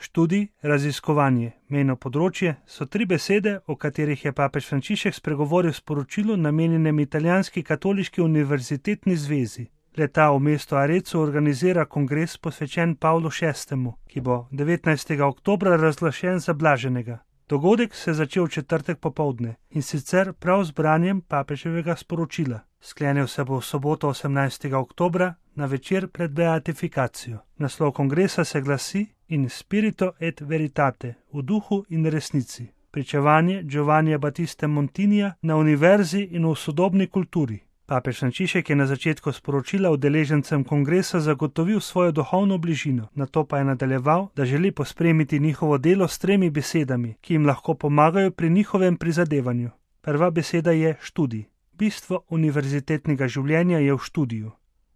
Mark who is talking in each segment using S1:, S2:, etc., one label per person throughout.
S1: Študij, raziskovanje, mejno področje so 3 besede, o katerih je papež Frančišek spregovoril v sporočilu namenjenem Italijanski katoliški univerzitetni zvezi. Le-ta v mestu Arezzo organizira kongres posvečen Pavlu VI., ki bo 19. oktobra razglašen za blaženega. Dogodek se je začel v četrtek popoldne in sicer prav z branjem papeževega sporočila. Sklenil se bo v soboto 18. oktobra na večer pred beatifikacijo. Naslov kongresa se glasi In spirito et veritate, v duhu in resnici. Pričevanje Giovannija Battiste Montinija na univerzi in v sodobni kulturi. Papež Frančišek je na začetku sporočila udeležencem kongresa zagotovil svojo duhovno bližino, nato pa je nadaljeval, da želi pospremiti njihovo delo s 3 besedami, ki jim lahko pomagajo pri njihovem prizadevanju. Prva beseda je študij. Bistvo univerzitetnega življenja je v študiju,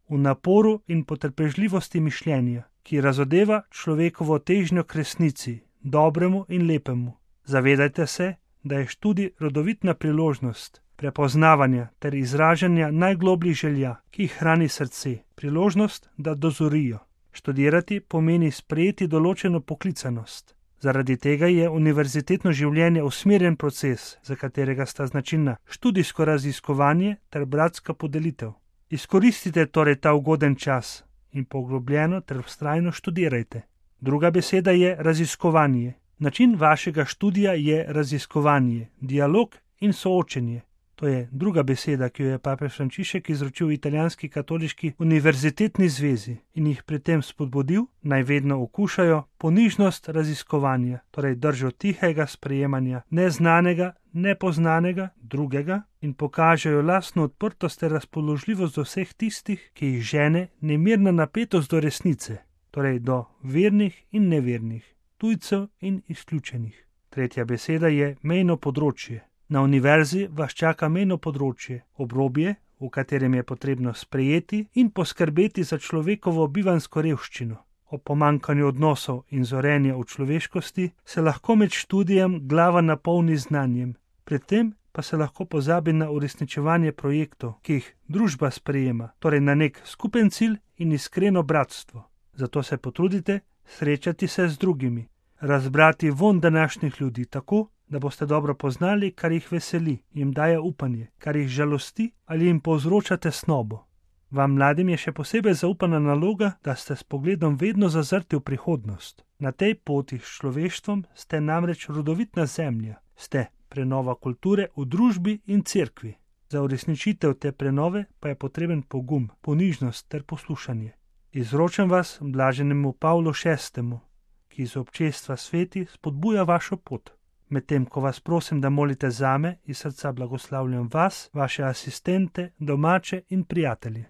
S1: v naporu in potrpežljivosti mišljenja, ki razodeva človekovo težnjo k resnici, dobremu in lepemu. Zavedajte se, da je študij rodovitna priložnost prepoznavanja ter izražanja najglobljih želja, ki jih hrani srce, priložnost, da dozorijo. Študirati pomeni sprejeti določeno poklicanost. Zaradi tega je univerzitetno življenje usmerjen proces, za katerega sta značilna študijsko raziskovanje ter bratska podelitev. Izkoristite torej ta ugoden čas in poglobljeno ter vztrajno študirajte. Druga beseda je raziskovanje. Način vašega študija je raziskovanje, dialog in soočenje. To je druga beseda, ki jo je papež Frančišek izročil Italijanski katoliški univerzitetni zvezi in jih pri tem spodbudil, naj vedno okušajo ponižnost raziskovanja, torej držo tihega sprejemanja neznanega, nepoznanega, drugega in pokažejo lastno odprtost ter razpoložljivost do vseh tistih, ki jih žene nemirna napetost do resnice, torej do vernih in nevernih, tujcev in izključenih. Tretja beseda je mejno področje. Na univerzi vas čaka mejno področje, obrobje, v katerem je potrebno sprejeti in poskrbeti za človekovo bivanjsko revščino. O pomanjkanju odnosov in zorenja v človeškosti se lahko med študijem glava napolni znanjem, predtem pa se lahko pozabi na uresničevanje projektov, ki jih družba sprejema, torej na nek skupen cilj in iskreno bratstvo. Zato se potrudite srečati se z drugimi, razbrati von današnjih ljudi tako, da boste dobro poznali, kar jih veseli, jim daje upanje, kar jih žalosti ali jim povzroča tesnobo. Vam mladim je še posebej zaupana naloga, da ste s pogledom vedno zazrti v prihodnost. Na tej poti s človeštvom ste namreč rodovitna zemlja, ste prenova kulture v družbi in cerkvi. Za uresničitev te prenove pa je potreben pogum, ponižnost ter poslušanje. Izročam vas blaženemu Pavlu VI., ki iz občestva sveti spodbuja vašo pot. Medtem ko vas prosim, da molite zame, iz srca blagoslavljam vas, vaše asistente, domače in prijatelje.